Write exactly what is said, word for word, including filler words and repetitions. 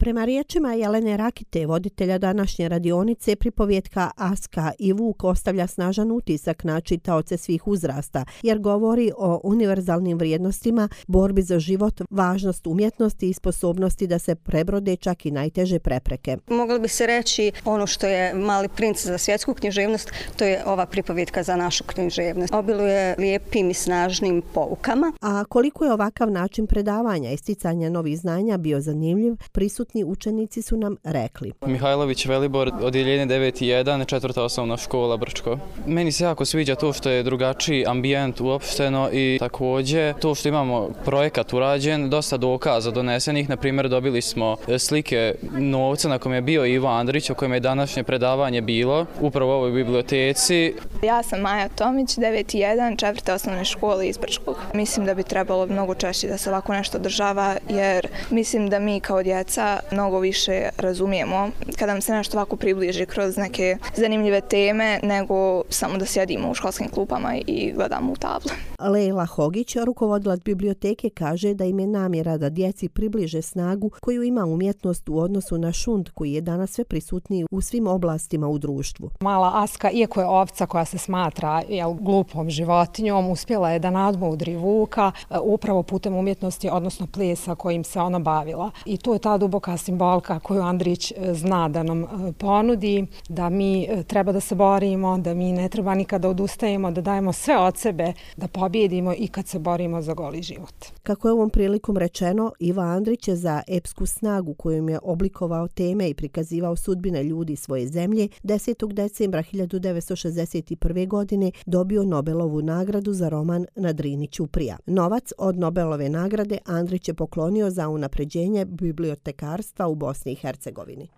Prema riječima Jelene Rakite, voditelja današnje radionice, pripovjetka Aska i Vuk ostavlja snažan utisak na čitaoce svih uzrasta, jer govori o univerzalnim vrijednostima, borbi za život, važnost umjetnosti i sposobnosti da se prebrode čak i najteže prepreke. Moglo bi se reći ono što je Mali princ za svjetsku književnost, to je ova pripovjetka za našu književnost. Obiluje lijepim i snažnim poukama. A koliko je ovakav način predavanja i sticanja novih znanja bio zanimljiv, prisutni učenici su nam rekli. Mihajlović Velibor, odjeljenje devet jedan, četvrta osnovna škola Brčko. Meni se jako sviđa to što je drugačiji ambijent uopšteno i također to što imamo projekat urađen, dosta dokaza donesenih. Na primjer, dobili smo slike novca na kojem je bio Ivo Andrić, o kojem je današnje predavanje bilo, upravo u ovoj biblioteci. Ja sam Maja Tomić, devet jedan, četvrta osnovne škole iz Brčkog. Mislim da bi trebalo mnogo češće da se ovako nešto održava, jer mislim da mi kao djeca mnogo više razumijemo kada nam se nešto ovako približi kroz neke zanimljive teme, nego samo da sjedimo u školskim klupama i gledamo u tablu. Lejla Hogić, rukovodilac biblioteke, kaže da im je namjera da djeci približe snagu koju ima umjetnost u odnosu na šund koji je danas sve prisutniji u svim oblastima u društvu. Mala Aska, iako je ovca koja se smatra jel, glupom životinjom, uspjela je da nadmudri Vuka upravo putem umjetnosti, odnosno plesa kojim se ona bavila. I to je ta duboka simbolika koju Andrić zna da nam ponudi, da mi treba da se borimo, da mi ne treba nikada odustajemo, da dajemo sve od sebe, da pobjedimo i kad se borimo za goli život. Kako je ovom prilikom rečeno, Ivo Andrić je za epsku snagu kojom je oblikovao teme i prikazivao sudbine ljudi svoje zemlje desetog decembra hiljadu devetsto šezdeset prve. godine dobio Nobelovu nagradu za roman Na Drini ćuprija. Novac od Nobelove nagrade Andrić je poklonio za unapređenje bibliotekarstva u Bosni i Hercegovini.